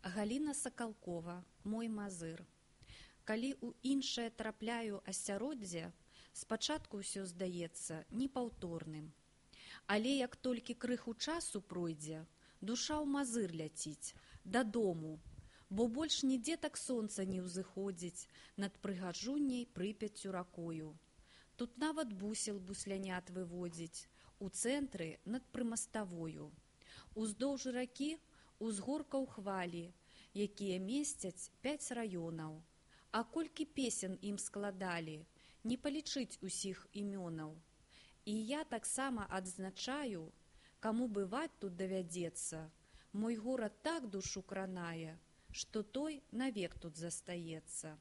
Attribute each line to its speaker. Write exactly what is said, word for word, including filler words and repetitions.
Speaker 1: Галіна Сакалкова, мой мазыр. Калі ў іншае трапляю асяроддзе, спачатку ўсё здаецца непаўторным. Але як толькі крыху часу пройдзе, душа ў мазыр ляціць, дадому, бо больш нідзе так сонца не ўзыходзіць над прыгажунняй Прыпяццю ракою. Тут нават бусел буслянят выводзіць, у цэнтры над прымаставою. Уздоўж ракі узгоркаў хвалі, якія месцяць пяць раёнаў. А колькі песен ім складалі, не палічыць усіх імёнаў. І я таксама адзначаю, каму бываць тут давядзецца, мой горад так душу кранае, што той навек тут застаецца.